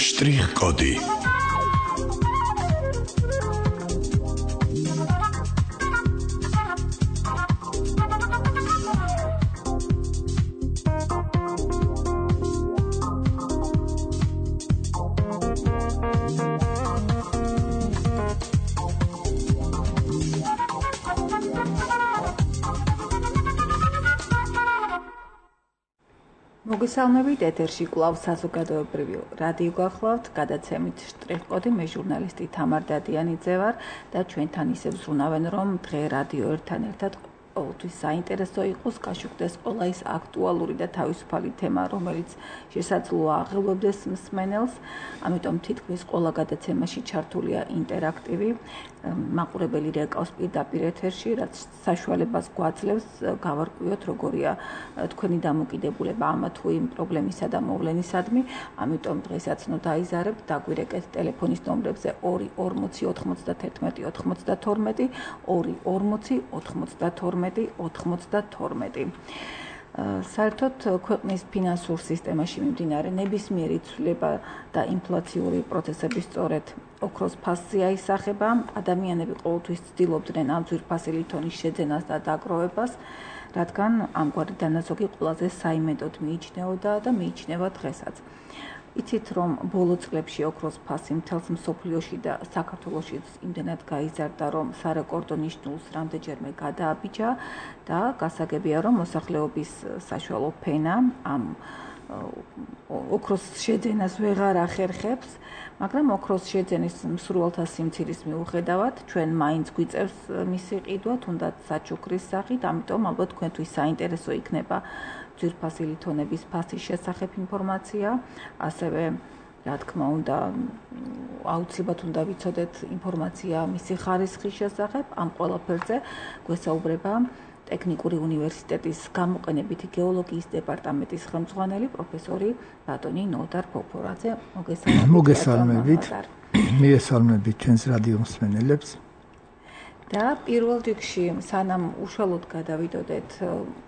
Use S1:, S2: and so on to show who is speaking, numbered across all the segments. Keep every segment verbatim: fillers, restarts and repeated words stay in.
S1: Штрих-коды.
S2: მოგესალმებით, ეთერში კვლავ საზოგადოებრივი რადიო გახლავთ, გადაცემით შტრიხ-კოდი, მე ჟურნალისტი თამარ დადიანიძე ვარ და ჩვენთან ისევ ზრუნავენ, რომ დღე რადიო ერთთან ერთად ყოველთვის საინტერესო იყოს, გაშუქდეს ყველა ის აქტუალური და თავისუფალი თემა, რომელიც შესაძლოა აღელვებდეს მსმენელს, ამიტომ თითქმის ყველა გადაცემაში ჩართულია ინტერაქტივი, მაყურებელი რეკავს პირდაპირ ეთერში, რაც საშუალებას გვაძლევს გავარკვიოთ, როგორია თქვენი დამოკიდებულება ამ თუ იმ პრობლემისა და მოვლენისადმი, ამიტომ დღესაც ნუ დაიზარებთ, დაგვირეკეთ ტელეფონის ნომრებზე ორი ორმოცი ოთხმოცდათერთმეტი ოცდათორმეტი, ორი ორმოცი ოთხმოცდათორმეტი ოცდათორმეტი. საერთოდ ქვეყნის ფინანსურ სისტემაში მიმდინარე ნებისმიერი ცვლილება და ინფლაციური პროცესები სწორედ ოქროს ფასზე აისახება. ადამიანები ყოველთვის ცდილობდნენ ამ ძვირფასი ლითონის შეძენას და დაგროვებას, რადგან ამგვარი დანაზოგი ყველაზე საიმედოდ მიიჩნეოდა და მიიჩნევა დღესაც. იცით, რომ ბოლო წლებში ოქროს ფასი მთელს მსოფლიოში და საქართველოშიც იმდენად გაიზარდა, რომ სარეკორდო ნიშნულს რამდენჯერმე გადააბიჯა და გასაგებია, რომ მოსახლეობის საშუალო ფენა ამ ოქროს შეძენას ვეღარ ახერხებს, მაგრამ ოქროს შეძენის მსურველთა სიმცირის მიუხედავად, ჩვენ მაინც გვიწევს მისი ყიდვა, თუნდაც საჩუქრის სახით, ამიტომ ალბათ თქვენთვის საინტერესო იქნება ძვირფასი ლითონების ფასის შესახებ ინფორმაცია, ასევე რა თქმა უნდა, აუცილებლად უნდა ვიცოდეთ ინფორმაცია მისი ხარისხის შესახებ, ამ ყველაფერზე გვესაუბრება ტექნიკური უნივერსიტეტის გამოყენებითი გეოლოგიის დეპარტამენტის ხელმძღვანელი პროფესორი ბატონი ნოდარ ფოფორაძე. მოგესალმებით.
S3: მოგესალმებით. მიესალმებით ჩვენს რადიო მსმენელებს.
S2: და პირველ რიგში, სანამ უშუალოდ გადავიდოდეთ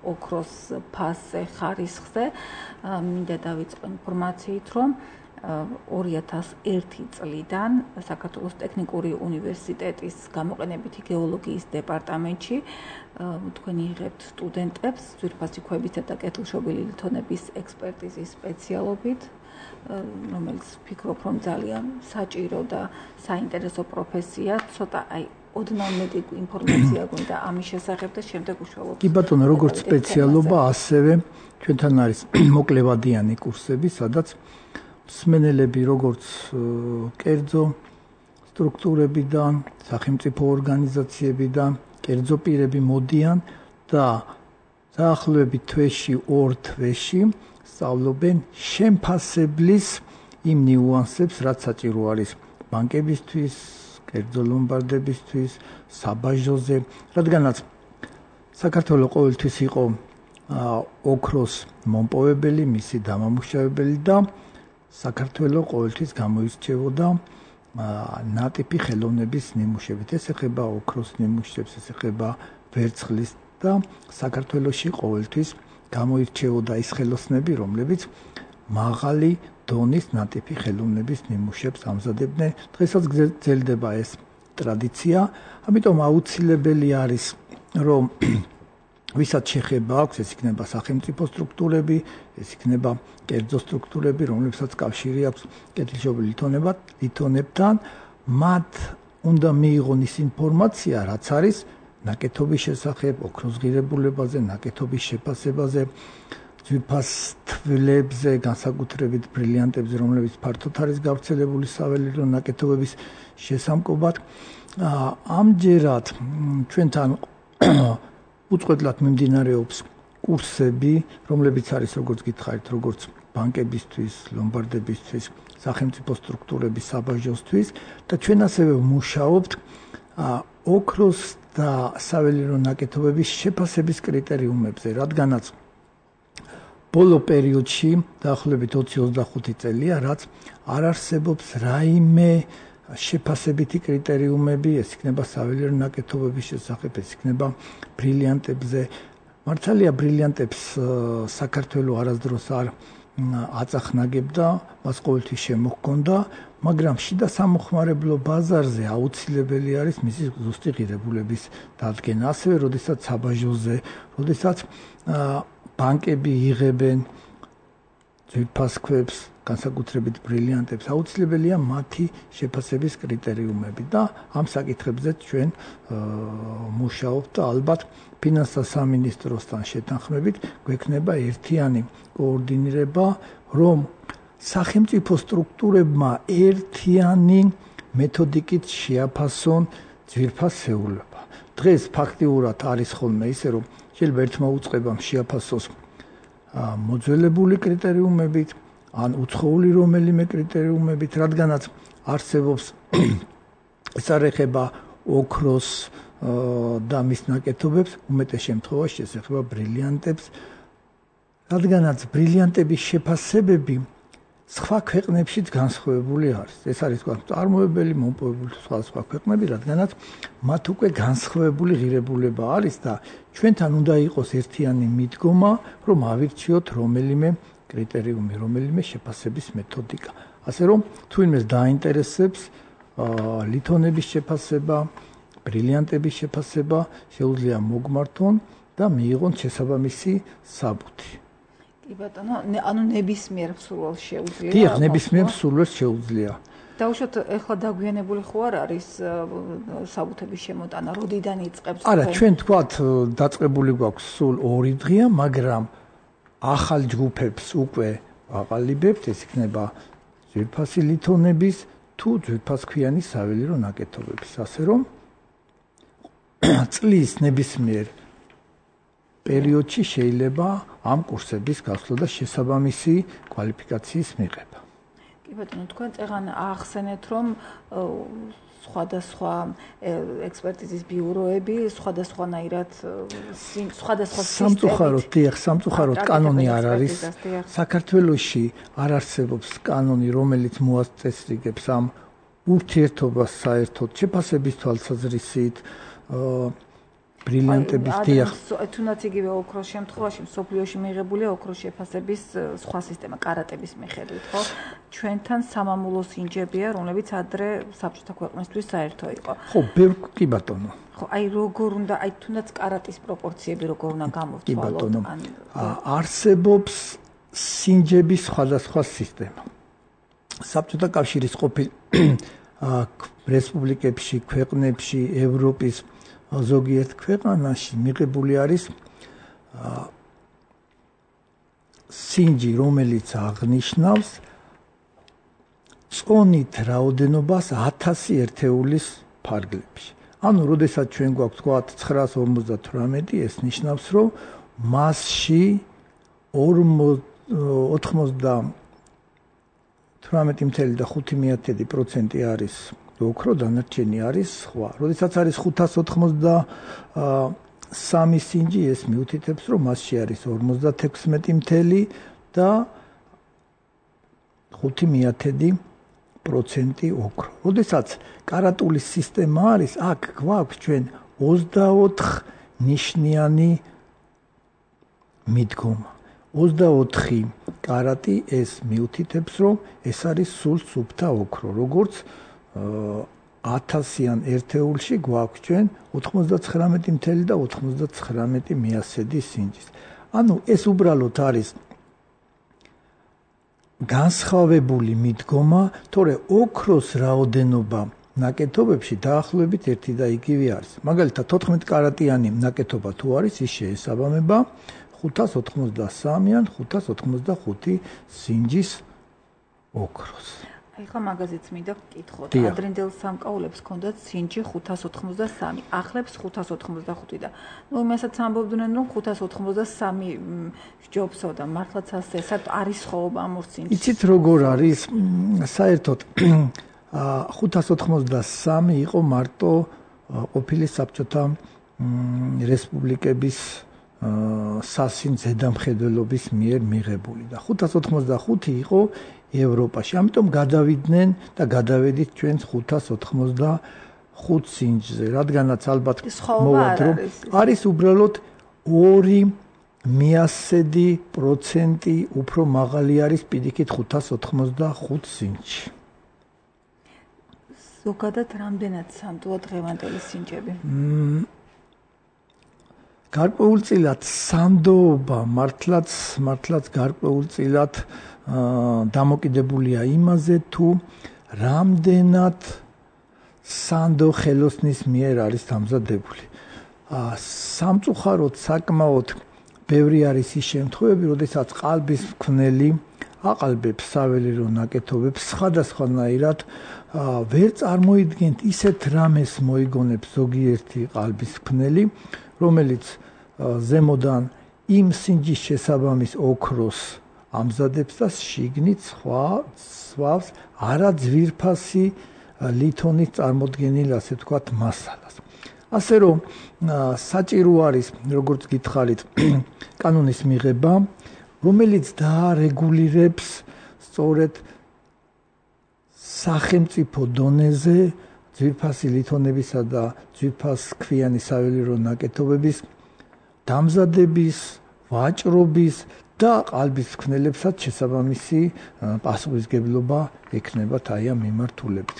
S2: ოქროს ფასზე, ხარისხზე, მინდა დავიწყო ინფორმაციით, რომ ორი ათას ერთი წლიდან საქართველოს ტექნიკური უნივერსიტეტის გამოყენებითი გეოლოგიის დეპარტამენტში თქვენ იღებთ სტუდენტებს ძვირფასი ქვებისა და კეთილშობილი ლითონების ექსპერტიზის სპეციალობით, რომელიც ვფიქრობ, რომ ძალიან საჭირო და საინტერესო პროფესია, ცოტა აი ოდნავ მეტი ინფორმაცია გვინდა ამის შესახებ და შემდეგ უშუალოდ.
S3: კი ბატონო, როგორც სპეციალობა, ასევე ჩვენთან არის მოკლევადიანი კურსები, სადაც მსმენელები როგორც კერძო სტრუქტურებიდან, სახელმწიფო ორგანიზაციებიდან, კერძო პირები მოდიან და დაახლოებით თვეში ორ თვეში სწავლობენ შემფასებლის იმ ნიუანსებს, რაც საჭირო არის ბანკებისთვის, კერძო ლომბარდებისთვის, საბაჟოზე, რადგანაც საქართველოს ყოველთვის იყო ოქროს მომპოვებელი, მისი დამამუშავებელი და საქართველოს ყოველთვის გამოირჩეოდა ნატიფი ხელოვნების ნიმუშებით. ეს ეხება ოქროს ნიმუშებს, ეს ეხება ვერცხლის და საქართველოში ყოველთვის გამოირჩეოდა ის ხელოსნები, რომლებიც მაღალი დონის ნატიფი ხელოვნების ნიმუშებს ამზადებდნენ. დღესაც გრძელდება ეს ტრადიცია, ამიტომ აუცილებელი არის, რომ ვისაც შეხება აქვს, ეს იქნება სახელმწიფო სტრუქტურები, ეს იქნება კერძო სტრუქტურები, რომლებსაც კავშირი აქვს კეთილშობილი ლითონებთან, მათ უნდა მიიღონ ის ინფორმაცია, რაც არის ნაკეთობის შესახებ, ოქროს ღირებულებაზე, ნაკეთობის შეფასებაზე, ძვირფას თვლებზე, განსაკუთრებით ბრილიანტებზე, რომლებიც ფართოდ არის გავრცელებული საველირო ნაკეთობების შესამკობად. ამჯერად ჩვენთან უწყვეტლად მიმდინარეობს კურსები, რომლებიც არის, როგორც გითხარით, როგორც ბანკებისთვის, ლომბარდებისთვის, სახელმწიფო სტრუქტურების საბაჟოსთვის და ჩვენ ასევე ვმუშაობთ ოქროს და საველირო ნაკეთობების შეფასების კრიტერიუმებზე, რადგანაც ბოლო პერიოდში, დაახლოებით ოცი ოცდახუთი წელია, რაც არ არსებობს რაიმე შეფასებითი კრიტერიუმები, ეს იქნება საველირო ნაკეთობების შესახებ, ეს იქნება ბრილიანტებზე. მართალია ბრილიანტებს საქართველოს არასდროს არ აწახნაგებდა, მას ყოველთვის შემოჰქონდა, მაგრამ შიდა სამოხმარებლო ბაზარზე აუცილებელი არის მისი ზუსტი ღირებულების დადგენა. ასევე, როდესაც საბაჟოზე, როდესაც ბანკები იღებენ ძვირფას ქვებს, განსაკუთრებით ბრილიანტებს, აუცილებელია მათი შეფასების კრიტერიუმები და ამ საკითხებზე ჩვენ მუშაობთ და ალბათ ფინანსთა სამინისტროსთან შეთანხმებით გვექნება ერთიანი კოორდინირება, რომ სახელმწიფო სტრუქტურებმა ერთიანი მეთოდიკით შეაფასონ ძვირფასეულობა. დღეს ფაქტიურად არის ხოლმე ისე, რომ შეიძლება ერთმა უწყებამ შეაფასოს მოძველებული კრიტერიუმებით, ან უცხოური რომელიმე კრიტერიუმებით, რადგანაც არსებობს ეს არ ეხება ოქროს და მის ნაკეთობებს, უმეტეს შემთხვევაში ეს ეხება ბრილიანტებს, რადგანაც ბრილიანტების შეფასებები სხვა ქვეყნებშიც განსხვავებული არის. ეს არის თქვა წარმოებელი, მომპოვებული სხვა სხვა ქვეყნები, რადგანაც მათ უკვე განსხვავებული ღირებულება არის და ჩვენთან უნდა იყოს ერთიანი მიდგომა, რომ ავირჩიოთ რომელიმე კრიტერიუმი, რომელიმე შეფასების მეთოდიკა. ასე რომ თუ იმეს დაინტერესებს ლითონების შეფასება, ბრილიანტების შეფასება, შეუძლია მოგმართონ და მიიღონ შესაბამისი საბუთი.
S2: კი ბატონო, ანუ ნებისმიერ მსურველს შეუძლია.
S3: დიახ, ნებისმიერ მსურველს შეუძლია.
S2: დაუშვათ, ეხლა დაგვიანებული ხო არ არის საბუთების შემოტანა, როდიდან იწყებს?
S3: არა, ჩვენ თქვათ დაწყებული გვაქვს სულ ორი დღეა, მაგრამ ახალ ჯგუფებს უკვე აყალიბებთ, ეს იქნება ძვირფასი ლითონების თუ ძვირფასქვიანი საველირო ნაკეთობების. ასე რომ წლის ნებისმიერ პერიოდში შეიძლება ამ კურსების გასვლა და შესაბამისი კვალიფიკაციის მიღება.
S2: კი ბატონო, თქვენ წეგან აახსენეთ, რომ სხვადასხვა ექსპერტიზის ბიუროები სხვადასხვანაირად სხვადასხვა
S3: სამწუხაროდ, დიახ, სამწუხაროდ კანონი არ არის. საქართველოში არ არსებობს კანონი, რომელიც მოაწესრიგებს ამ ურთიერთობას საერთოდ შეფასების თვალსაზრისით, ბრილიანტების დიახ.
S2: თუნდაც იგივე ოქროს შემთხვევაში მსოფლიოში მიღებულია ოქროს შეფასების სხვა სისტემა კარატების მიხედვით, ხო? ჩვენთან სამამულო სინჯებია, რომლებიც ადრე საბჭოთა ქვეყნისთვის საერთო იყო.
S3: ხო, ბევრ კი ბატონო.
S2: ხო, აი როგორ უნდა, აი თუნდაც კარატის პროპორციები როგორ უნდა გამოვთვალოთ?
S3: კი ბატონო. არსებობს სინჯების სხვადასხვა სისტემა. საბჭოთა კავშირის ყოფილ რესპუბლიკებში, ქვეყნებში, ევროპის ზოგიერთ ქვეყანაში მიღებული არის სინჯი, რომელიც აღნიშნავს წონით რაოდენობას ათასი ერთეულის ფარგლებში. ანუ, როდესაც ჩვენ გვაქვს თქვა ცხრაას ორმოცდათვრამეტი, ეს ნიშნავს, რომ მასში ორმოცდათვრამეტი და ხუთი პროცენტი არის ოქრო, დანარჩენი არის სხვა. როდესაც არის ხუთას ოცდასამი სინჯი, ეს მიუთითებს, რომ მასში არის ორმოცდათექვსმეტი და ხუთი პროცენტი ოქრო. როდესაც კარატული სისტემა არის, აქ გვაქვს ჩვენ ოცდაოთხ ნიშნიანი მიდგომა. ოცდაოთხი კარატი ეს მიუთითებს, რომ ეს არის სულ სუფთა ოქრო, როგორც ათასიან ერთეულში გვაქვს ჩვენ ოთხმოცდაცხრამეტი და ოცდაცხრამეტი სინჯის. ანუ ეს უბრალოდ არის განსხვავებული მიდგომა, თორე ოქროს რაოდენობა ნაკეთობებში დაახლოებით ერთი და იგივე არის. მაგალითად, თოთხმეტ კარატიანი ნაკეთობა თუ არის, ის შეესაბამება ხუთას ოცდასამი ან ხუთას ოცდახუთი სინჯის ოქროს.
S2: აი ხა მაგაზეც მინდა ვკითხოთ. ადრინდელ სამკაულებს ჰქონდათ სინჯი ხუთას ოცდასამი, ახლებს ხუთას ოცდახუთი და ნუ იმასაც ამბობდნენ, რომ ხუთას ოცდასამი ჯობსო და მართლაც ასე საერთოდ არის ხოვობა ამ ორ სინჯს.
S3: იცით როგორ არის? საერთოდ ხუთას ოცდასამი იყო მარტო ყოფილი საბჭოთა რესპუბლიკების სასინ ზედამხედველობის მიერ მიღებული და ხუთას ოცდახუთი იყო ევროპაში. ამიტომ გადავიდნენ და გადავედით ჩვენ ხუთას ოცდახუთ სინჯზე, რადგანაც ალბათ მოვად რომ არის უბრალოდ ორი მიასედი პროცენტი უფრო მაღალი არის პირიქით ხუთას ოთხმოცდახუთ სინჯში.
S2: ზოგადად რამდენად სანდოა დღევანდელი სინჯები?
S3: გარკვეულწილად სანდოობა მართლაც მართლაც გარკვეულწილად დამოკიდებულია იმაზე, თუ რამდენად სანდო ხელოსნის მიერ არის დამზადებული. სამწუხაროდ საკმაოდ ბევრი არის ის შემთხვევები, როდესაც ყალბის მქვნელი აყალბებს საველირო ნაკეთობებს სხვადასხვანაირად ვერ წარმოიდგენთ ისეთ რამეს მოიგონებს ზოგიერთი ყალბის მქნელი, რომელიც ზემოდან იმ სინჯის შესაბამის ოქროს ამზადებს და შიგნით სხვა სვავს არაძვირფასი ლითონის წარმოდგენილ, ასე ვთქვათ, მასალას. ასე რომ საჭირო არის, როგორც გითხარით, კანონის მიღება, რომელიც დაარეგულირებს სწორედ სახელმწიფო დონეზე ძვირფასი ლითონებისა და ძვირფასქვიანი საველირო ნაკეთობების დამზადების, ვაჭრობის და ყალბის მქნელებსაც შესაბამისი პასუხისმგებლობა ექნებათ აი ამ მიმართულებით.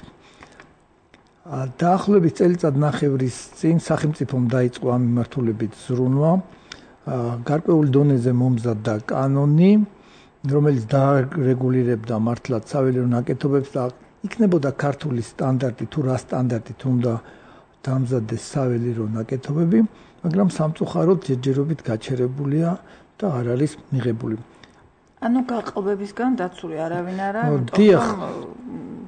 S3: დაახლოებით წელიწად ნახევრის წინ სახელმწიფომ დაიწყო ამ მიმართულებით ზრუნვა. გარკვეულ დონეზე მომზადდა კანონი, რომელიც დაარეგულირებდა მართლაც საველირო ნაკეთობებს და იქნებოდა ქართული სტანდარტი, თუ რა სტანდარტით უნდა დამზადდეს საველირო ნაკეთობები, მაგრამ სამწუხაროდ ჯერჯერობით გაჩერებულია და არ არის მიღებული.
S2: ანუ გაყალბებისგან დაცული არავინ არა,
S3: დიახ,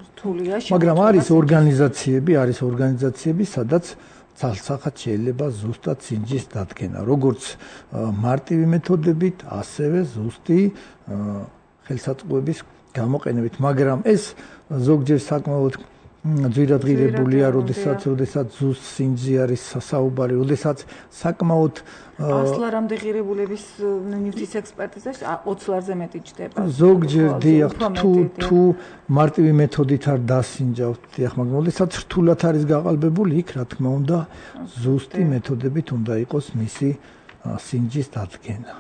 S2: რთულია შემოწმება.
S3: მაგრამ არის ორგანიზაციები, არის ორგანიზაციები, სადაც ცალსახად შეიძლება ზუსტად სინჯის დადგენა, როგორც მარტივი მეთოდებით, ასევე ზუსტი ხელსაწყოების გამოყენებით, მაგრამ ეს ზოგჯერ საკმაოდ ძვირადღირებულია, როდესაც როდესაც ზუსტ სინჯზე არის საუბარი, როდესაც საკმაოდ
S2: ასლარამდე ღირებულების ნივთის ექსპერტიზაში ოცი ლარზე მეტი ჯდება.
S3: ზოგჯერ დიახ, თუ თუ მარტივი მეთოდით არ დასინჯავთ, დიახ, მაგრამ როდესაც რთულად არის გაყალბებული, იქ რა თქმა უნდა ზუსტი მეთოდებით უნდა იყოს მისი სინჯის დადგენა.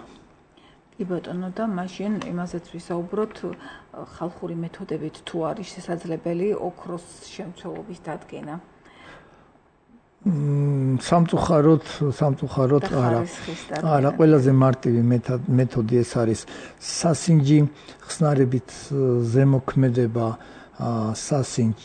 S2: კი ბატონო, და მაშინ იმასაც ვისაუბროთ, ხალხური მეთოდებით თუ არის შესაძლებელი ოქროს შემცველობის დადგენა.
S3: სამწუხაროდ, სამწუხაროდ არა. არა, ყველაზე მარტივი მეთოდი ეს არის სასინჯი ხსნარებით ზემოქმედება სასინჯ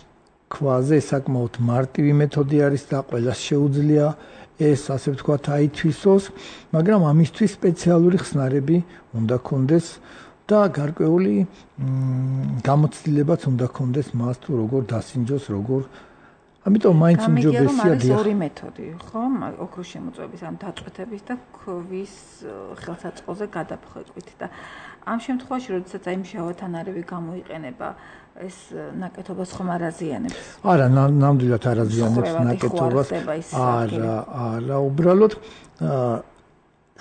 S3: ქვაზე, საკმაოდ მარტივი მეთოდი არის და ყველას შეუძლია ეს, ასე ვთქვათ, აითვისოს, მაგრამ ამისთვის სპეციალური ხსნარები უნდა კონდეს და გარკვეული გამოცდილებაც უნდა კონდეს მას თუ როგორ დასინჯოს, როგორ ამიტომ მაინც უმჯობესია
S2: დიახ. ორი მეთოდი, ხო? ოქროს შემოწმების ან დაწყვეტების და ქვის ხელსაწყოზე გადაფხვეწვით და ამ შემთხვევაში, როდესაც აი მჟავათანარევი გამოიყენება, ეს ნაკეთობას ხომ არ აზიანებს?
S3: არა, ნამდვილად არ აზიანებს ნაკეთობას. არა, არა, უბრალოდ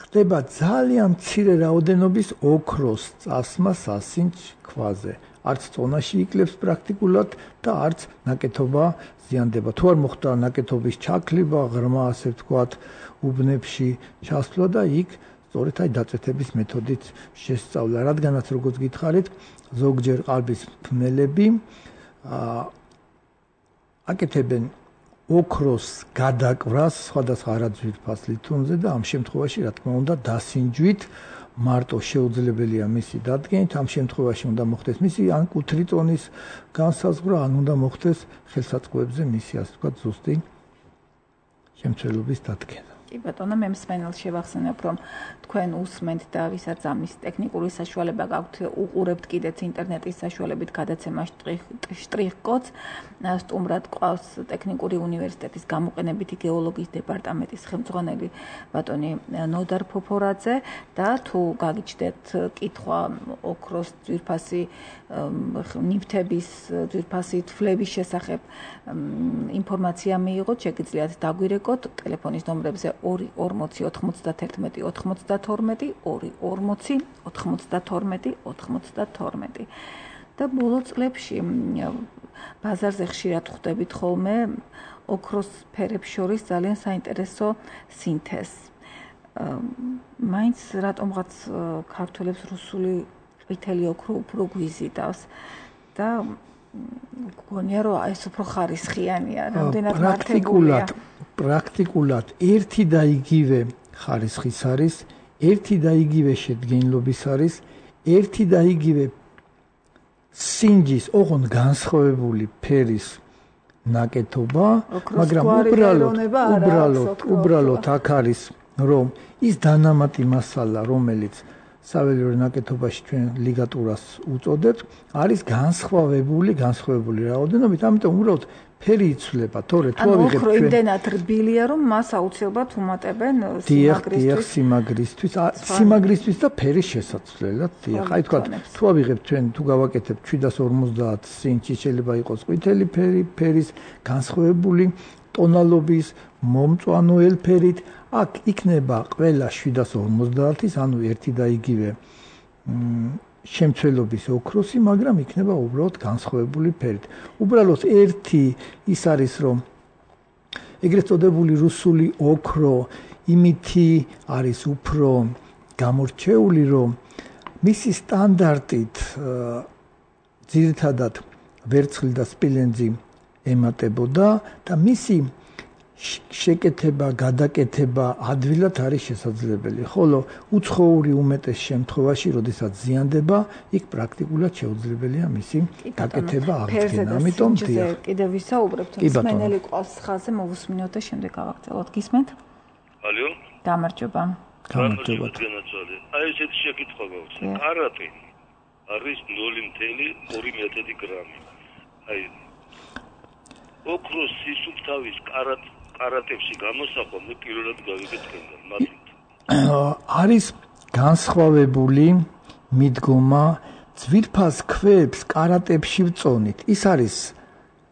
S3: ხდება ძალიან მცირე რაოდენობის ოქროს წასმა სასინჯ ქვაზე. არც წონაში იკლებს პრაქტიკულად და არც ნაკეთობა ზიანდება. თუ არ მოხდა ნაკეთობის ჩაკლება, ღრმა, ასე ვთქვათ, უბნებში ჩასვლა და იქ სწორედ აი დაწვეთების მეთოდით შესწავლა. რადგანაც როგორც გითხარით, ზოგჯერ ყალბის მქნელები აკეთებენ ოქროს გადაკვრას სხვადასხვა არაძვირფას ლითონზე და ამ შემთხვევაში, რა თქმა უნდა, დასინჯვით მარტო შეუძლებელია მისი დადგენით, ამ შემთხვევაში უნდა მოხდეს მისი ან კუთრი წონის განსაზღვრა, ან უნდა მოხდეს ხელსაწყოებზე მისი, ასე ვთქვათ, ზუსტი შემცველობის დადგენა.
S2: კი ბატონო, მე მსმენელს შევახსენებ, რომ თქვენ უსმენთ და ვისაც ამის ტექნიკური საშუალება გაქვთ, უყურებთ კიდეც ინტერნეტის საშუალებით გადაცემა შტრიხ-კოდს. სტუმრად ყავს ტექნიკური უნივერსიტეტის გამოყენებითი გეოლოგიის დეპარტამენტის ხელმძღვანელი ბატონი ნოდარ ფოფორაძე და თუ გაგიჩნდეთ კითხვა ოქროს ძვირფასი ნივთების ძვირფასი თვლების შესახებ ინფორმაცია მიიღოთ, შეგიძლიათ დაგვირეკოთ ტელეფონის ნომრებზე ორი ორმოცი ოთხმოცდათერთმეტი ოთხმოცდათორმეტი, ორი ორმოცი ოთხმოცდათორმეტი ოთხმოცდათორმეტი. და ბოლო წლებში ბაზარზე ხშირად ხვდებით ხოლმე ოქროს ფერებს შორის ძალიან საინტერესო სინთეზს. მაინც რატომღაც ქართველებს რუსული ყვითელი ოქრო უფრო გვიზიდავს და გონია რომ ეს უფრო ხარისხიანია, რამდენად მართებულია.
S3: პრაქტიკულად ერთი და იგივე ხარისხის არის, ერთი და იგივე შედგენილობის არის, ერთი და იგივე სინჯის ოღონდ განსხვავებული ფერის ნაკეთობა, მაგრამ უბრალოდ უბრალოდ უბრალოდ აქ არის რომ ის დანამატი მასალა, რომელიც საველირო ნაკეთობაში ჩვენ ლიგატურას უწოდებთ, არის განსხვავებული, განსხვავებული რაოდენობით, ამიტომ უბრალოდ ფერი იცვლება, თორე თუ ავიღებთ ჩვენ.
S2: ანუ იმდენად რბილია, რომ მას აუცილებლად უმატებენ
S3: სიმაგრისთვის. სიმაგრისთვის, სიმაგრისთვის და ფერის შესაცვლელად. დიახ, აი თქვა, თუ ავიღებთ ჩვენ, თუ გავაკეთებთ შვიდას ორმოცდაათ სინჯი, შეიძლება იყოს ყვითელი ფერი, ფერის განსხვავებული ტონალობის, მომწვანოელ ფერით, აქ იქნება ყველა შვიდას ორმოცდაათის, ანუ ერთი და იგივე შემცველობის ოქროსი, მაგრამ იქნება უბრალოდ განსხვავებული ფერით. უბრალოდ ერთი ის არის, რომ ეგრეთ წოდებული რუსული ოქრო იმითი არის უფრო გამორჩეული, რომ მისი სტანდარტით ძირითადად ვერცხლი და სპილენძი ემატებოდა და მისი შეკეთება, გადაკეთება ადვილად არის შესაძლებელი, ხოლო უცხოური უმეტეს შემთხვევაში, როდესაც ზიანდება, იქ პრაქტიკულად შეუძლებელია მისი გაკეთება აღდგენა. ამიტომ
S2: კიდევ ვისაუბრებთ, მსმენელი ყავს ხაზზე, მოვუსმინოთ და შემდეგ გავაგრძელოთ. გისმენთ?
S1: ალო?
S2: გამარჯობა.
S3: გამარჯობა.
S1: აი ესეთი შეკითხვა გაქვს. კარატე არის ნული მეთილი ორი მეთოდი გრამი. აი ოქროს სისუფთავის კარატ კარატებში გამოსახვა მე პირველად გავიგეთ თქვენგან მადლით.
S3: არის განსხვავებული მიდგომა ძვირფას ქვებს კარატებში ვწონით. ის არის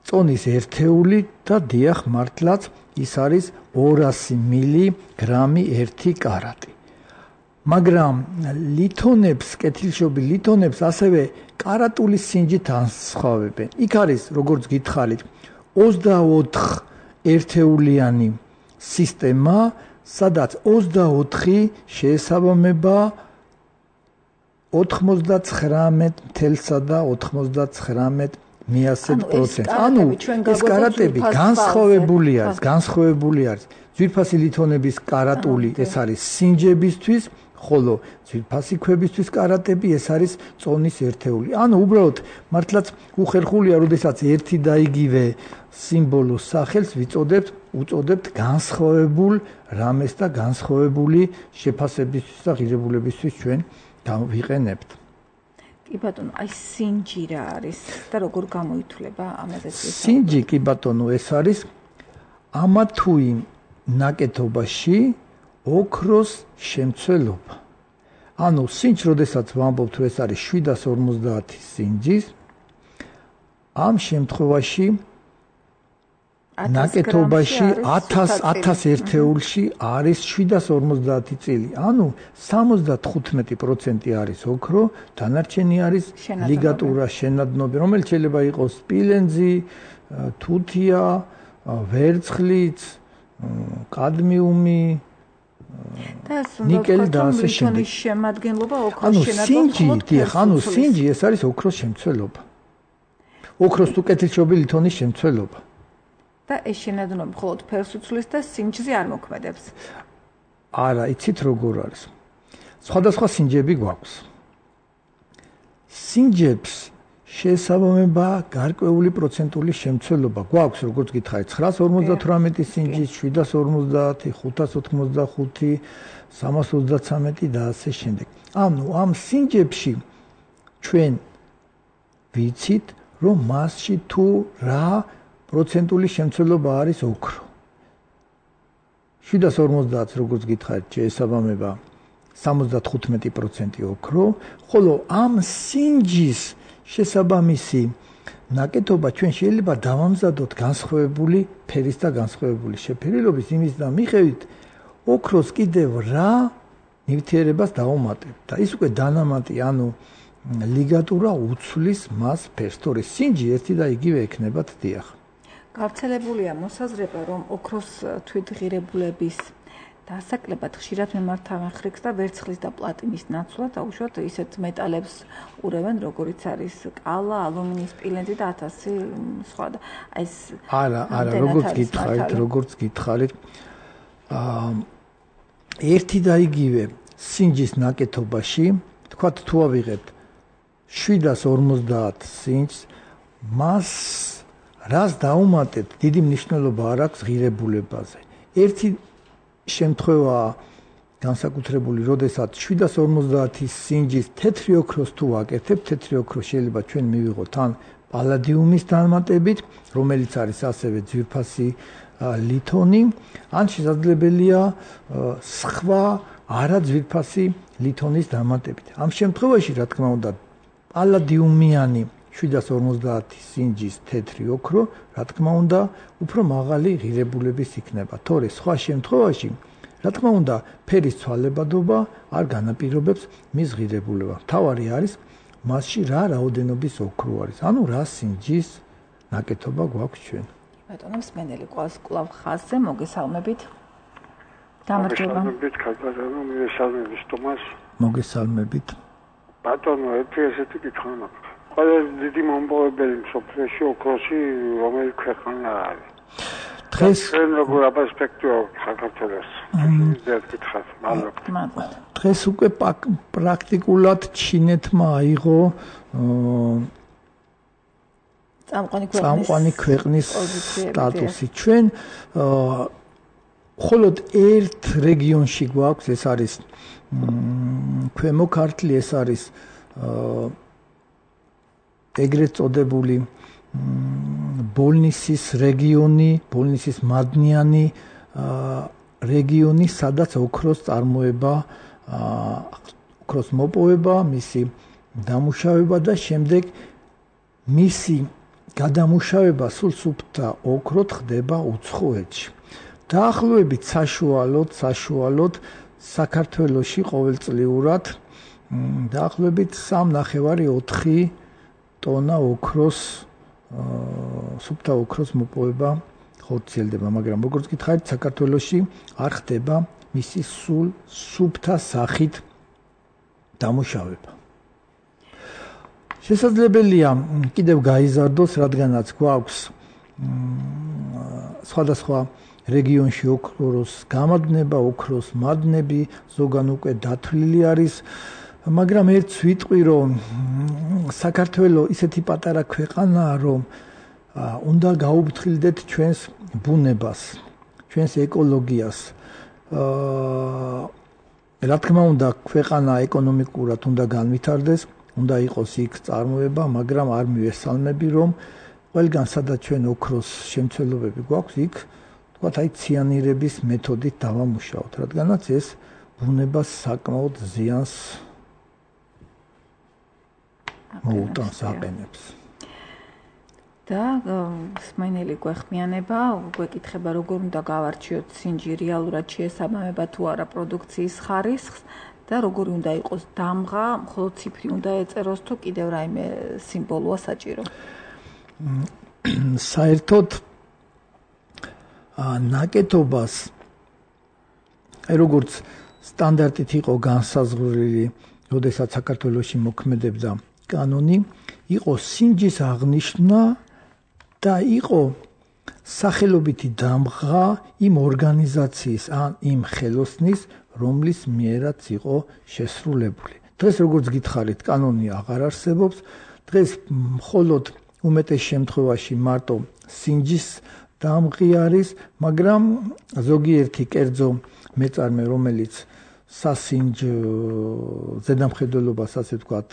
S3: წონის ერთეული და დიახ მართლაც ის არის ორასი მილი გრამი ერთი კარატი. მაგრამ ლითონებს, კეთილშობილ ლითონებს ასევე კარატული სინჯით ასხავებენ. იქ არის, როგორც გითხარით, ოცდაოთხ ერთეულიანი სისტემა, სადაც ოცდაოთხი შეესაბამება ოცდაცხრამეტსა და ოცდაცხრამეტ პროცენტს. ანუ ეს კარატები განსხვავებული არის, განსხვავებული არის. ძვირფასი ლითონების კარატული ეს არის სინჯებისთვის, ხოლო ძვირფასი ქვებისთვის კარატები ეს არის წონის ერთეული. ანუ უბრალოდ მართლაც უხერხულია, როდესაც ერთი და იგივე სიმბოლოს სახელს ვიწოდებთ, უწოდებთ განსხვავებულ რამეს და განსხვავებული შეფასებისთვის და ღირებულებისთვის ჩვენ ვიყენებთ.
S2: კი ბატონო, აი სინჯი რა არის და როგორ გამოითვლება ამაზე?
S3: სინჯი კი ბატონო, ეს არის ამა თუ იმ ნაკეთობაში ოქროს შემცველობა. ანუ სინჯი, როდესაც ვამბობთ, რომ ეს არის შვიდას ორმოცდაათი სინჯის, ამ შემთხვევაში ნაკეთობაში ათას ერთეულში არის შვიდას ორმოცდაათი წილი. ანუ სამოცდათხუთმეტი პროცენტი არის ოქრო, დანარჩენი არის ლიგატურა, შენადნობი, რომელიც შეიძლება იყოს სპილენძი, თუთია, ვერცხლიც, კადმიუმი, ნიკელი და ასე შემდეგ.
S2: შემადგენლობა ოქროს
S3: ანუ
S2: შენადნობი.
S3: სინჯი, დიახ, ანუ სინჯი ეს არის ოქროს შემცველობა. ოქროს თუ კეთილშობილი ლითონის შემცველობა.
S2: და ეს შენადნობი მხოლოდ ფერს უცვლის და სინჯზე არ მოქმედებს.
S3: არა, იცით როგორ არის. სხვადასხვა სინჯები გვაქვს. სინჯებს შეესაბამება გარკვეული პროცენტული შემცველობა. გვაქვს, როგორც გითხარით, ცხრას ორმოცდათვრამეტი სინჯი, შვიდას ორმოცდაათი, ხუთას ოთხმოცდახუთი, სამას ოცდაცამეტი და ასე შემდეგ. ანუ ამ სინჯებში ჩვენ ვიცით, რომ მასში თუ რა პროცენტული შემცველობა არის ოქრო. შვიდას ორმოცდაათს, როგორც გითხარით, შეესაბამება სამოცდათხუთმეტი პროცენტი ოქრო, ხოლო ამ სინჯის შესაბამისი ნაკეთობა ჩვენ შეიძლება დავამზადოთ განსხვავებული ფერის და განსხვავებული შეფერილობის იმის და მიხედვით ოქროს კიდევ რა ნივთიერებას დავუმატებთ და ის უკვე დანამატი, ანუ ლიგატურა უცვლის მას ფერს, თორე სინჯი ერთი და იგივე ექნებათ, დიახ.
S2: გავრცელებულია მოსაზრება, რომ ოქროს თვითღირებულების დასაკლებად ხშირად მიმართავენ ხრიქს და ვერცხლის და პლატინის ნაცვლად აუშვათ ისეთ მეტალებს ურევენ, როგორიც არის კალა, ალუმინის სპილენძი და ათასი სხვა და ეს
S3: არა, არა, როგორც გითხარით, როგორც გითხარით, აა ერთი და იგივე სინჯის ნაკეთობაში, თქვათ თუ ავიღებთ შვიდას ორმოცდაათ სინჯს, მას რას დაუმატებთ, დიდი მნიშვნელობა არ აქვს ღირებულებაზე. ერთი შემთხვევა განსაკუთრებული, როდესაც შვიდას ორმოცდაათის სინჯის თეთრი ოქროს თუ ვაკეთებთ, თეთრი ოქრო შეიძლება ჩვენ მივიღოთ ან პალადიუმის დამატებით, რომელიც არის ასევე ძვირფასი ლითონი, ან შესაძლებელია სხვა არაძვირფასი ლითონის დამატებით. ამ შემთხვევაში, რა თქმა უნდა, პალადიუმიანი შვიდას ორმოცდაათის სინჯის თეთრი ოქრო, რა თქმა უნდა, უფრო მაღალი ღირებულების იქნება. თორე სხვა შემთხვევაში, რა თქმა უნდა, ფერის ცვალებადობა არ განაპირობებს მის ღირებულებას. თავარი არის მასში რა რაოდენობის ოქრო არის. ანუ რა სინჯის ნაკეთობა გვაქვს ჩვენ.
S2: ბატონო მსმენელი ყავს კლავ ხაზზე, მოგესალმებით. გამარჯობა.
S4: მოგესალმებით, ქალბატონო, მოგესალმებით, თომას.
S3: მოგესალმებით.
S4: ბატონო, ერთი ესეთი კითხვა მაქვს. ყველაზე დიდი მომპოვებელი მსოფლიოში ოქროსი რომელი ქვეყანა არის?
S3: დღეს
S4: ჩვენ როგორ აპერსპექტივა საქართველოს? ეს კითხვა მადლობა.
S3: დღეს უკვე პრაქტიკულად ჩინეთმა აიღო წამყვანი ქვეყნის სტატუსი. ჩვენ მხოლოდ ერთ რეგიონში გვაქვს, ეს არის ქვემო ქართლი, ეს არის ეგრეთ წოდებული ბოლნისის რეგიონი, ბოლნისის მადნიანი რეგიონი, სადაც ოქროს წარმოება, ოქროს მოპოვება, მისი დამუშავება და შემდეგ მისი გადამუშავება სულ სუფთა ოქროთ ხდება უცხოეთში. დაახლოებით საშუალოდ, საშუალოდ საქართველოში ყოველწლიურად დაახლოებით სამ ნახევარი ოთხი ტონა ოქროს სუფთა ოქროს მოპოვება ხორციელდება, მაგრამ როგორც გითხარით, საქართველოში არ ხდება მისი სულ სუფთა სახით დამუშავება. შესაძლებელია კიდევ გაიზარდოს, რადგანაც გვაქვს სხვადასხვა რეგიონში ოქროს გამადნება, ოქროს მადნები, ზოგან უკვე დათვლილი არის, მაგრამ ერთს ვიტყვი, რომ საქართველო ისეთი პატარა ქვეყანაა, რომ უნდა გაუფრთხილდეთ ჩვენს ბუნებას, ჩვენს ეკოლოგიას. რა თქმა უნდა, ქვეყანა ეკონომიკურად უნდა განვითარდეს, უნდა იყოს იქ წარმოება, მაგრამ არ მივესალმები, რომ ყველგან სადაც ჩვენ ოქროს შემცველობები გვაქვს, იქ თქვათ აი ციანირების მეთოდით დავამუშავოთ, რადგანაც ეს ბუნებას საკმაოდ ზიანს მოუტანს, აყენებს.
S2: და მსმენელი გვეხმიანება, გვეკითხება, როგორ უნდა გავარჩიოთ სინჯი რეალურად შეესაბამება თუ არა პროდუქციის ხარისხს და როგორი უნდა იყოს დამღა, მხოლოდ ციფრი უნდა ეწეროს თუ კიდევ რაიმე სიმბოლოა საჭირო.
S3: საერთოდ ნაკეთობას, აი როგორც სტანდარტით იყო განსაზღვრული, როდესაც საქართველოში მოქმედებდა კანონი, იყო სინჯის აღნიშვნა და იყო სახელობითი დამღა იმ ორგანიზაციის ან იმ ხელოსნის, რომლის მიერაც იყო შესრულებული. დღეს როგორც გითხარით, კანონი აღარ არსებობს. დღეს მხოლოდ უმეტეს შემთხვევაში მარტო სინჯის დამღი არის, მაგრამ ზოგიერთი კერძო მეწარმე, რომელიც სასინჯ ზედამხედველობას, ასე ვთქვათ,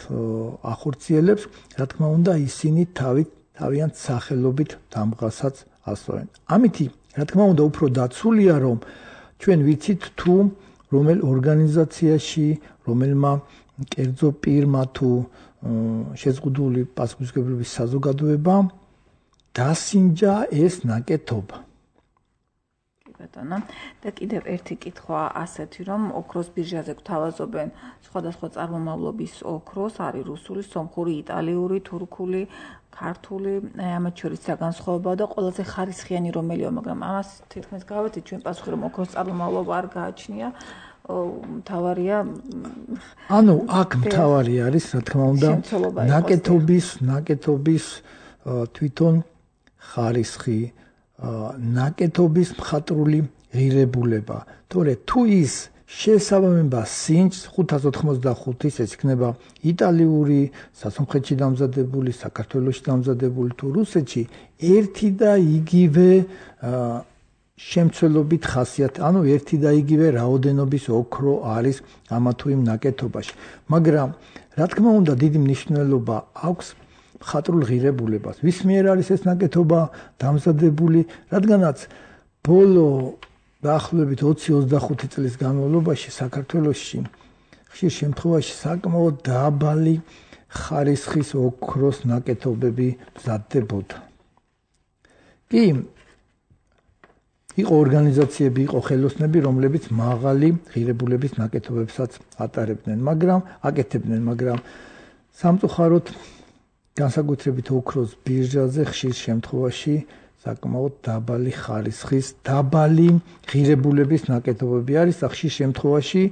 S3: ახორციელებს, რა თქმა უნდა, ისინი თავით თავიანთ სახელობით დამღასაც ასვენ. ამითი, რა თქმა უნდა, უფრო დაცულია, რომ ჩვენ ვიცით თუ რომელ ორგანიზაციაში, რომელმა კერძო პირმა თუ შეზღუდული პასუხისმგებლობის საზოგადოებამ დასინჯა ეს ნაკეთობა.
S2: ბატონო. და კიდევ ერთი კითხვა ასეთი, რომ ოქროს ბირჟაზე გვთავაზობენ სხვადასხვა წარმომავლობის ოქროს, არის რუსული, სომხური, იტალიური, თურქული, ქართული, ამათ შორის რა განსხვავებაა და ყველაზე ხარისხიანი რომელია, მაგრამ ამას თითქმის გავეთით ჩვენ პასუხი, რომ ოქროს წარმომავლობა არ გააჩნია. მთავარია
S3: ანუ აქ მთავარი არის, რა თქმა უნდა, ნაკეთობის, ნაკეთობის თვითონ ხარისხი, ნაკეთობის მხატვრული ღირებულება. თორე თუ ის შეესაბამება სინჯს ხუთას ოთხმოცდახუთის, ეს იქნება იტალიური, სასუნხეთში დამზადებული, საქართველოში დამზადებული თუ რუსეთში, ერთი და იგივე შემცველობით ხასიათი, ანუ ერთი და იგივე რაოდენობის ოქრო არის ამა თუ იმ ნაკეთობაში. მაგრამ რა თქმა უნდა, დიდი მნიშვნელობა აქვს მხატვრულ ღირებულებას. ვის მიერ არის ეს ნაკეთობა დამზადებული, რადგანაც ბოლო დაახლოებით ოცი ოცდახუთი წლის განმავლობაში საქართველოში ხშირ შემთხვევაში საკმაოდ დაბალი ხარისხის ოქროს ნაკეთობები მზადდებოდა. კი იყო ორგანიზაციები, იყო ხელოსნები, რომლებიც მაღალი ღირებულების ნაკეთობებსაც ატარებდნენ, მაგრამ აკეთებდნენ, მაგრამ სამწუხაროდ განსაკუთრებით ოქროს ბირჟაზე ხშირ შემთხვევაში საკმაოდ დაბალი ხარისხის, დაბალი ღირებულების ნაკეთობები არის და ხშირ შემთხვევაში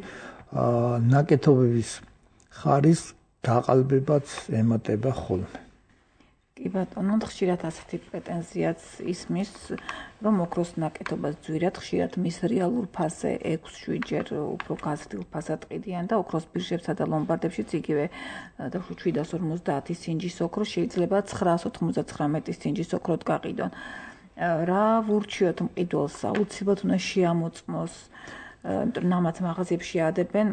S3: ნაკეთობების ხარისხს დაყალბებაც ემატება ხოლმე.
S2: კი ბატონო, ხშირად ასეთი პრეტენზიაც ისმის, რომ ოქროს ნაკეთობას ძვირად ხშირად მის რეალურ ფასზე ექვს შვიდჯერ უფრო გაზრდილ ფასად ყიდიან და ოქროს ბირჟებსა და ლომბარდებშიც იგივე შვიდას ორმოცდაათი სინჯის ოქრო შეიძლება ცხრაას ოთხმოცდაცხრამეტი სინჯის ოქროდ გაყიდონ. რა ვურჩიოთ მყიდველს, აუცილებლად უნდა შეამოწმოს, ნამაც მაღაზიებში ადებენ,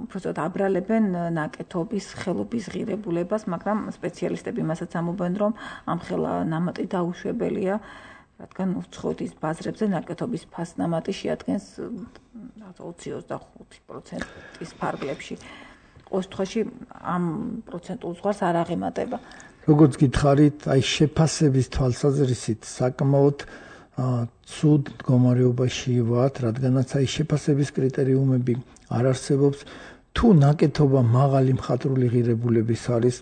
S2: უბრალოდ აბრალებენ ნაკეთობის ხელობის ღირებულებას, მაგრამ სპეციალისტები მასაც ამბობენ, რომ ამ ხელა ნამატი დაუშვებელია, რადგან უცხოეთის ბაზრებზე ნაკეთობის ფასნამატი შეადგენს ოცი ოცდახუთი პროცენტის ფარგლებში. ყოველ შემთხვევაში ამ პროცენტულ ზღვარს არ აღემატება.
S3: როგორც გითხარით, აი შეფასების თვალსაზრისით საკმაოდ ცუდ მდგომარეობაში ვართ, რადგანაც აი შეფასების კრიტერიუმები არ არსებობს. თუ ნაკეთობა მაღალი მხატვრული ღირებულების არის,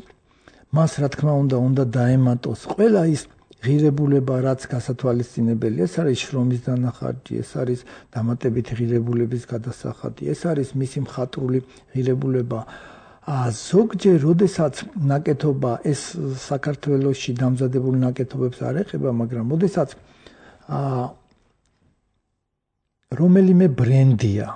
S3: მას რა თქმა უნდა, უნდა დაემატოს ყველა ის ღირებულება, რაც გასათვალისწინებელია, ეს არის შრომის დანახარჯი, ეს არის დამატებითი ღირებულების გადასახადი, ეს არის მისი მხატვრული ღირებულება. ზოგჯერ, როდესაც ნაკეთობა ეს საქართველოში დამზადებულ ნაკეთობებს არ ეხება, მაგრამ როდესაც რომელიმე ბრენდია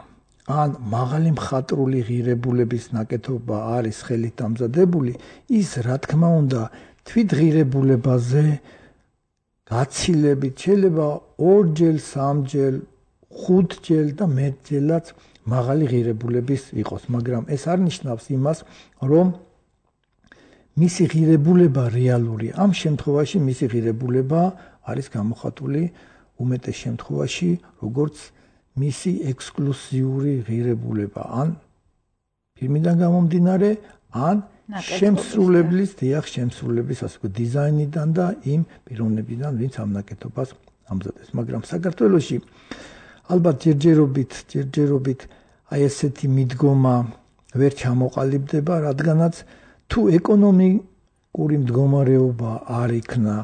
S3: ან მაღალი მხატვრული ღირებულების ნაკეთობა არის ხელით დამზადებული, ის რა თქმა უნდა თვითღირებულებაზე გაცილებით შეიძლება ორჯერ, სამჯერ, ხუთჯერ და მეტჯერაც მაღალი ღირებულების იყოს, მაგრამ ეს არ ნიშნავს იმას, რომ მისი ღირებულება რეალური. ამ შემთხვევაში მისი ღირებულება არის გამოხატული უმეტეს შემთხვევაში როგორც მისი ექსკლუზიური ღირებულება, ან ფილმიდან გამომდინარე, ან შემსრულებლის, დიახ, შემსრულების ასე ვთქვათ, დიზაინიდან და იმ პიროვნებიდან, ვინც ამ ნაკეთობას ამზადებს. მაგრამ საქართველოში ალბათ ჯერჯერობით, ჯერჯერობით აი ესეთი მიდგომა ვერ ჩამოყალიბდება, რადგანაც თუ ეკონომიკური მდგომარეობა არ იქნა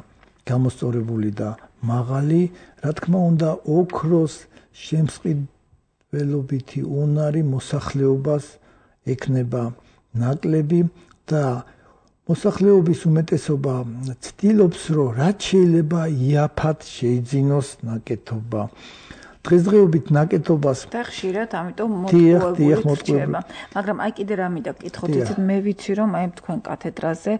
S3: გამოსწორებული და მაღალი, რა თქმა უნდა, ოქროს შემსყიდველობითი უნარი მოსახლეობას ექნება ნაკლები და მოსახლეობის უმეტესობა ცდილობს, რომ რაც შეიძლება იაფად შეიძინოს ნაკეთობა. დღესდღეობით ნაკეთობას
S2: და ხშირად ამიტომ მოტყუებული რჩება. მაგრამ აი კიდე რა მინდა გკითხოთ, იცით, მე ვიცი, რომ აი თქვენ კათედრაზე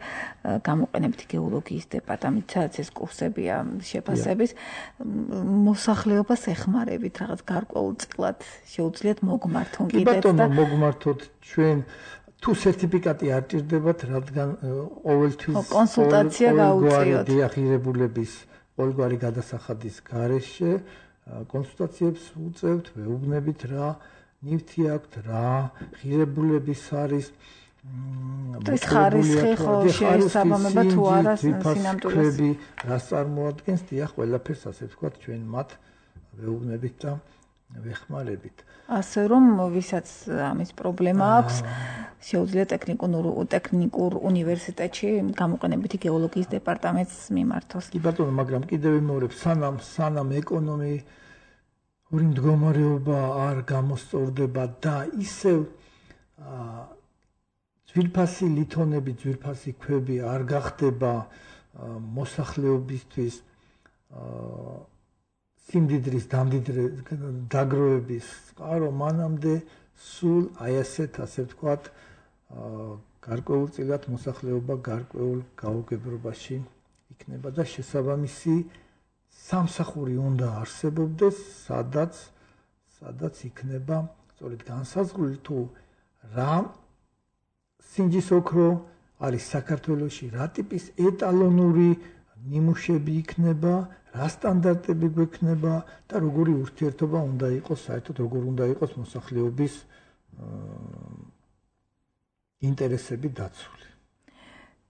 S2: გამოყენებთ გეოლოგიის დეპარტამენტსაც ეს კურსებია შეფასების, მოსახლეობას ეხმარებით რაღაც გარკვეულწილად შეუძლიათ მოგმართონ კიდეც და
S3: კი ბატონო, მოგმართოთ ჩვენ თუ სერტიფიკატი არ ჭირდებათ, რადგან ყოველთვის
S2: კონსულტაცია გაუწიოთ.
S3: დიახირებულების ყოველგვარი გადასახადის გარეშე კონსულტაციებს უწევთ, ვეუბნებით რა ნივთი აქვთ, რა ღირებულების არის
S2: ეს ხარისხი ხო შეესაბამება თუ არა სინამდვილეს
S3: რას წარმოადგენს, დიახ, ყველაფერს ასე ვთქვათ, ჩვენ მათ ვეუბნებით და ვეხმარებით.
S2: ასე რომ ვისაც ამის პრობლემა აქვს, შეუძლია ტექნიკურ ტექნიკურ უნივერსიტეტში გამოყენებითი გეოლოგიის დეპარტამენტს მიმართოს.
S3: კი ბატონო, მაგრამ კიდევ ვიმეორებ, სანამ სანამ ეკონომიკური მდგომარეობა არ გამოსწორდება და ისევ ძვირფასი ლითონები, ძვირფასი ქვები არ გახდება მოსახლეობისთვის სიმდიდრის დაგროვების წყარო, მანამდე სულ აი ასეთ, ასე ვთქვათ, გარკვეულწილად მოსახლეობა გარკვეულ გაუგებრობაში იქნება და შესაბამისი სამსახური უნდა არსებობდეს, სადაც სადაც იქნება სწორედ განსაზღვრული თუ რა სინჯის ოქრო არის საქართველოში, რა ტიპის ეტალონური ნიმუშები იქნება, რა სტანდარტები გვექნება და როგორი ურთიერთობა უნდა იყოს, საერთოდ როგორ უნდა იყოს მოსახლეობის ინტერესები დაცული.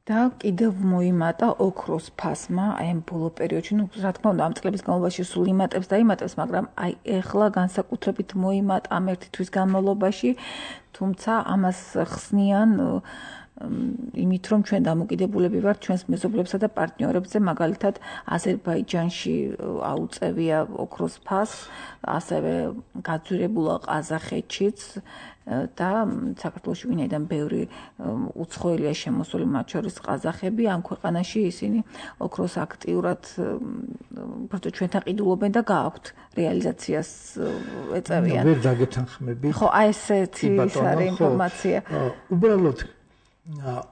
S2: და კიდევ მოიმატა ოქროს ფასმა, აი ამ ბოლო პერიოდში, ну, რა თქმა უნდა, ამ წლების განმავლობაში სულ იმატებს და იმატებს, მაგრამ აი ეხლა განსაკუთრებით მოიმატა ამ ერთი თვის განმავლობაში, თუმცა ამას ხსნიან იმით, რომ ჩვენ დამოკიდებულები ვართ ჩვენს მეზობლებსა და პარტნიორებზე, მაგალითად აზერბაიჯანში აუწევია ოქროს ფასს, ასევე გაძვირებულა ყაზახეთშიც და საქართველოში ვინაიდან ბევრი უცხოელია შემოსული, მათ შორის ყაზახები, ამ ქვეყანაში ისინი ოქროს აქტიურად უბრალოდ ჩვენთან ყიდულობენ და გააქვთ რეალიზაციას ეწევიან.
S3: ვერ დაგეთანხმები.
S2: ხო, აი ესეთი ის არის ინფორმაცია.
S3: უბრალოდ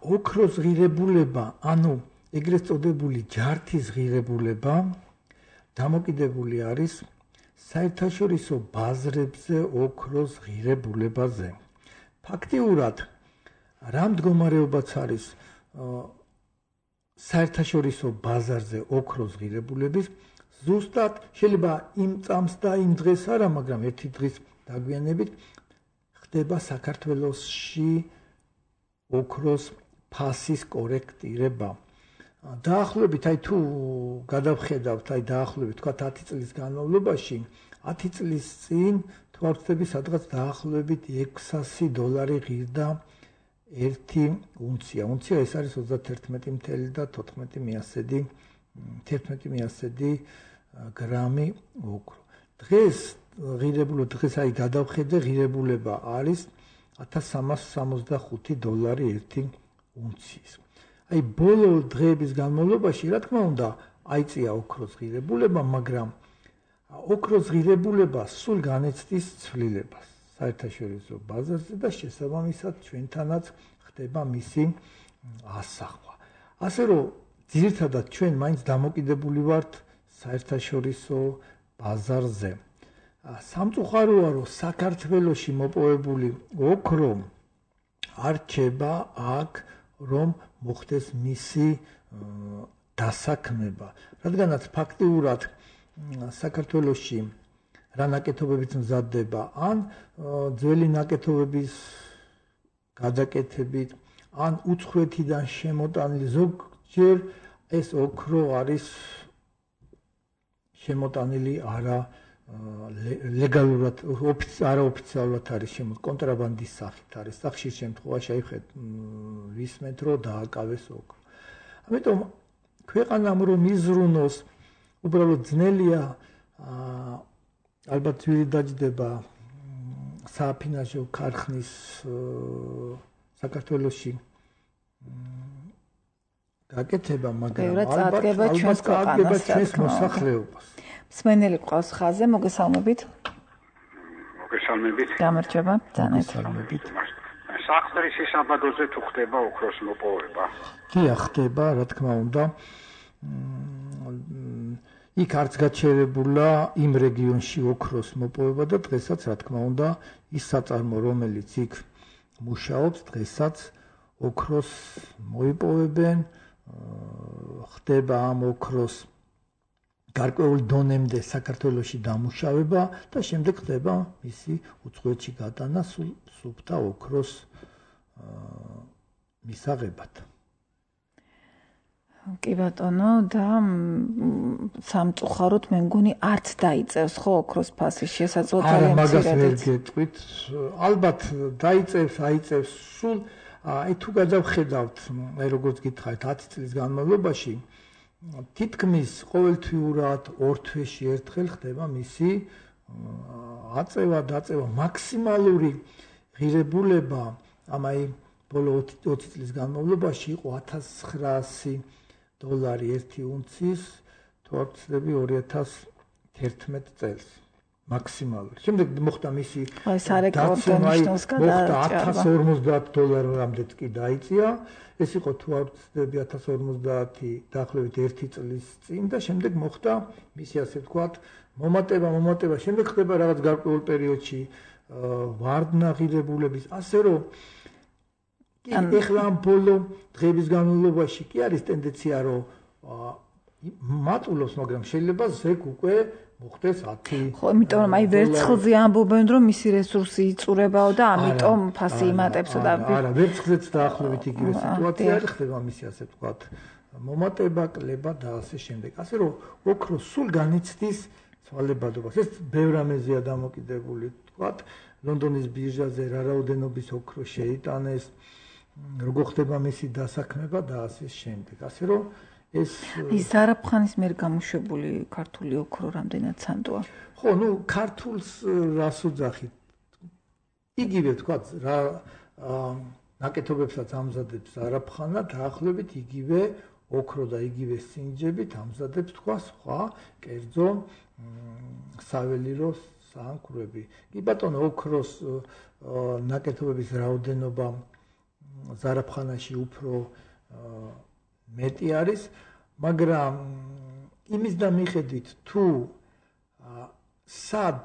S3: ოქროს ღირებულება, ანუ ეგრეთ წოდებული ჯართის ღირებულება დამოკიდებული არის საერთაშორისო ბაზრებზე ოქროს ღირებულებაზე. ფაქტიურად რა მდგომარეობაც არის საერთაშორისო ბაზარზე ოქროს ღირებულების, ზუსტად შეიძლება იმ წამს და იმ დღეს არა, მაგრამ ერთი დღის დაგვიანებით ხდება საქართველოში ოქროს ფასის კორექტირება. დაახლოებით, აი თუ გადავხედავთ, აი დაახლოებით, თქვა ათი წლის განმავლობაში, ათი წლის წინ თვალწები სადღაც დაახლოებით ექვსასი დოლარი ღირდა ერთი უნცია. უნცია ეს არის ოცდაათი მილი და თოთხმეტი მიასედი, თერთმეტი მიასედი გრამი ოქრო. დღეს ღირებულება, დღეს აი გადავხედე, ღირებულება არის ათას სამას სამოცდახუთი დოლარი ერთი უნციის. აი ბოლო დღეების განმავლობაში, რა თქმა უნდა, აიწია ოქროს ღირებულება, მაგრამ ოქროს ღირებულება სულ განეცდის ცვლილებას საერთაშორისო ბაზარზე და შესაბამისად ჩვენთანაც ხდება მისი ასახვა. ასე რომ ძირითადად ჩვენ მაინც დამოკიდებული ვართ საერთაშორისო ბაზარზე. სამწუხაროა, რომ საქართველოში მოპოვებული ოქრო არ რჩება აქ, რომ მოხდეს მისი დასაქმება. რადგანაც ფაქტიურად საქართველოში რა ნაკეთობებიც მზადდება, ან ძველი ნაკეთობების გადაკეთებით, ან უცხოეთიდან შემოტანილი, ზოგჯერ ეს ოქრო არის შემოტანილი არა ლეგალურად, არაოფიციალურად არის შემოტანილი, კონტრაბანდის სახით არის. ხშირ შემთხვევაში აიხეთ ვისმენთ, რომ დააკავეს ოქრო. ამიტომ ქვეყანამ რომ იზრუნოს, უბრალოდ ძნელია, ალბათ ძვირი დაჯდება სააფინანსო ქარხნის საქართველოში გაკეთება, მაგრამ
S2: ალბათ ჩვენს ქვეყანას
S3: მოსახლეობას.
S2: მსმენელი ყავს ხაზე, მოგესალმებით.
S4: მოგესალმებით.
S2: გამარჯობა,
S3: მოგესალმებით.
S4: საყდრისი საბადოზე თუ ხდება ოქროს მოპოვება?
S3: კი, ხდება, რა თქმა უნდა. იქ არც გაჩერებულა იმ რეგიონში ოქროს მოპოვება და დღესაც, რა თქმა უნდა, ის საწარმო, რომელიც იქ მუშაობს, დღესაც ოქროს მოიპოვებენ, ხდება ამ ოქროს გარკვეულ დონემდე საქართველოში დამუშავება და შემდეგ ხდება მისი უცხოეთში გატანა სუფთა ოქროს მისაღებად.
S2: კი ბატონო და სამწუხაროდ მე მგონი არც დაიწევს ხო ოქროს ფასის შესაძლოა ძალიან მცირედაც.
S3: არა, მაგას ვერ გეტყვით. ალბათ დაიწევს, აიწევს სულ აი თუ გადავხედავთ, აი როგორც გითხარით ათი წლის განმავლობაში თითქმის ყოველთვიურად ორ თვეში ერთხელ ხდება მისი აწევა, დაწევა, მაქსიმალური ღირებულება ამ აი ბოლო ოცი წლის განმავლობაში იყო ათას ცხრაასი დოლარი ერთი უნცის, თუ არ ვცდები ორი ათას თერთმეტ წელს მაქსიმალური. შემდეგ მოხდა მისი
S2: სარეკორდო ნიშნულს
S3: გადააჭარბა. ათას ორმოცდაათ დოლარამდეც კი დაიწია. ეს იყო თუ არ ვცდები ათას ორმოცდაათი დაახლოებით ერთი წლის წინ და შემდეგ მოხდა მისი ასე ვთქვათ მომატება, მომატება. შემდეგ ხდება რაღაც გარკვეულ პერიოდში ვარდნა ღირებულების, ასე რომ ეხლა ამ ბოლო დღეების განმავლობაში კი არის ტენდენცია რომ მატულობს, მაგრამ შეიძლება ზეგ უკვე მოხდეს ათი.
S2: ხო, იმიტომ რომ აი ვერცხლზე ამბობენ რომ მისი რესურსი იწურებაო და ამიტომ ფასი იმატებსო და
S3: არა, ვერცხლზეც დაახლოებით იგივე სიტუაცია არის, ხდება მისი ასე ვთქვათ მომატება, კლება და ასე შემდეგ. ასე რომ ოქრო სულ განიცდის ცვალებადობას. ეს ბევრ ამეზეა დამოკიდებული, ვთქვათ, ლონდონის ბირჟაზე რა რაოდენობის ოქრო შეიტანეს, როგორ ხდება მისი დასაქმება და ასე შემდეგ. ასე რომ ეს
S2: ის ზარაფხანის მიერ გამოშვებული ქართული ოქრო რამდენად სანდოა?
S3: ხო, ნუ ქართულს რას უძახით? იგივე ვთქვათ, რა ნაკეთობებსაც ამზადებს ზარაფხანა, დაახლოებით იგივე ოქრო და იგივე სინჯებით ამზადებს თქვა სხვა კერძო საველირო საანკროები. კი ბატონო, ოქროს ნაკეთობების რაოდენობა ზარაფხანაში უფრო მეტი არის, მაგრამ იმის და მიხედვით თუ სად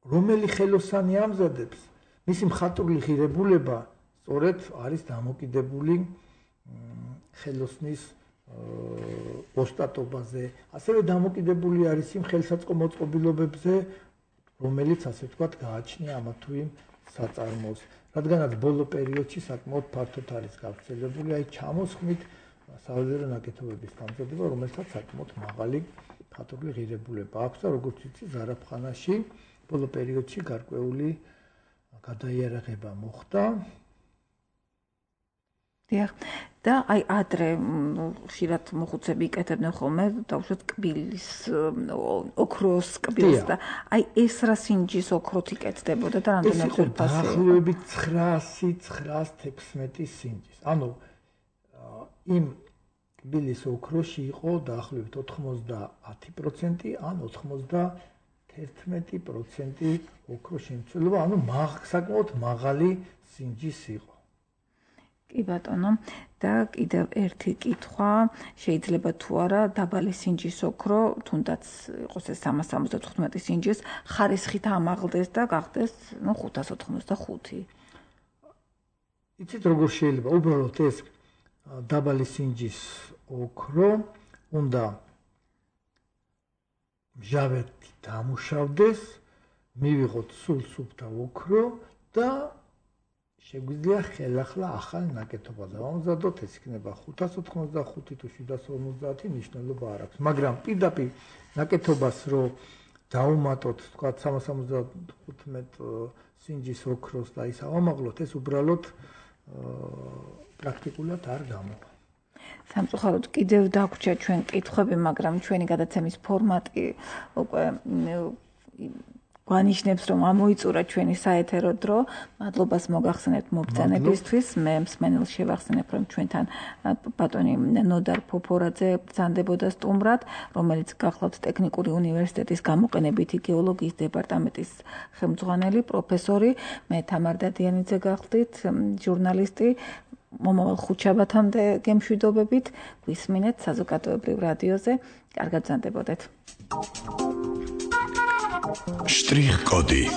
S3: რომელი ხელოსანი ამზადებს, მისი მხატვრული ღირებულება სწორედ არის დამოკიდებული ხელოსნის ოსტატობაზე, ასევე დამოკიდებული არის იმ ხელსაწყო მოწყობილობებზე, რომელიც ასე ვთქვათ გააჩნია ამა თუ იმ საწარმოს. რადგანაც ბოლო პერიოდში საკმაოდ ფართოდ არის გავრცელებული აი ჩამოსხმით საველირო ნაკეთობების დამზადება, რომელსაც საკმაოდ მაღალი მხატვრული ღირებულება აქვს და როგორც ვიცი, ზარაფხანაში ბოლო პერიოდში გარკვეული გადაიარაღება მოხდა.
S2: დიახ, და აი ადრე ხშირად მოხუცები იკეთებდნენ ხოლმე დავუშვათ კბილის ოქროს კბილს და აი ეს რა სინჯის ოქროთი იკეთდებოდა და რამდენი ხურფასი?
S3: დაახლოებით ცხრაასი ცხრაას თექვსმეტი სინჯის. ანუ იმ კბილის ოქროში იყო დაახლოებით ოთხმოცდაათი პროცენტი ან ოთხმოცდათერთმეტი პროცენტი ოქროს შემცველობა, ანუ საკმაოდ მაღალი სინჯის იყო.
S2: კი ბატონო, და კიდევ ერთი კითხვა, შეიძლება თუ არა დაბალი სინჯის ოქრო, თუნდაც იყოს ეს სამას სამოცდათხუთმეტი სინჯის, ხარისხით ამაღლდეს და გახდეს, ნუ ხუთას ოთხმოცდახუთი.
S3: იცით როგორ შეიძლება? უბრალოდ ეს დაბალი სინჯის ოქრო უნდა მჟავეთი დამუშავდეს, მივიღოთ სულ სუფთა ოქრო და შეგვიძლია ხელახლა ახალ ნაკეთობაზე დავამზადოთ, ეს იქნება ხუთას ოთხმოცდახუთი თუ შვიდას ორმოცდაათი, მნიშვნელობა არ აქვს. მაგრამ პირდაპირ ნაკეთობას რო დავუმატოთ, თქვა სამას სამოცდათხუთმეტ სინჯის ოქროს და ის ავამაღლოთ, ეს უბრალოდ პრაქტიკულად არ გამოვა.
S2: სამწუხაროდ კიდევ დაგვრჩა ჩვენ კითხვები, მაგრამ ჩვენი გადაცემის ფორმატი უკვე გვანიშნებს, რომ ამოიწურა ჩვენი საეთერო დრო. მადლობას მოგახსენებთ მობრძანებისთვის. მე მსმენელს შევახსენებ, რომ ჩვენთან ბატონი ნოდარ ფოფორაძე ბრძანდებოდა სტუმრად, რომელიც გახლავთ ტექნიკური უნივერსიტეტის გამოყენებითი გეოლოგიის დეპარტამენტის ხელმძღვანელი, პროფესორი. მე თამარ დადიანიძე გახლდით, ჟურნალისტი. მომავალ ხუთშაბათამდე გემშვიდობებით, გვისმინეთ საზოგადოებრივ რადიოზე. კარგად ბრძანდებოდეთ.
S5: Штрих-коды.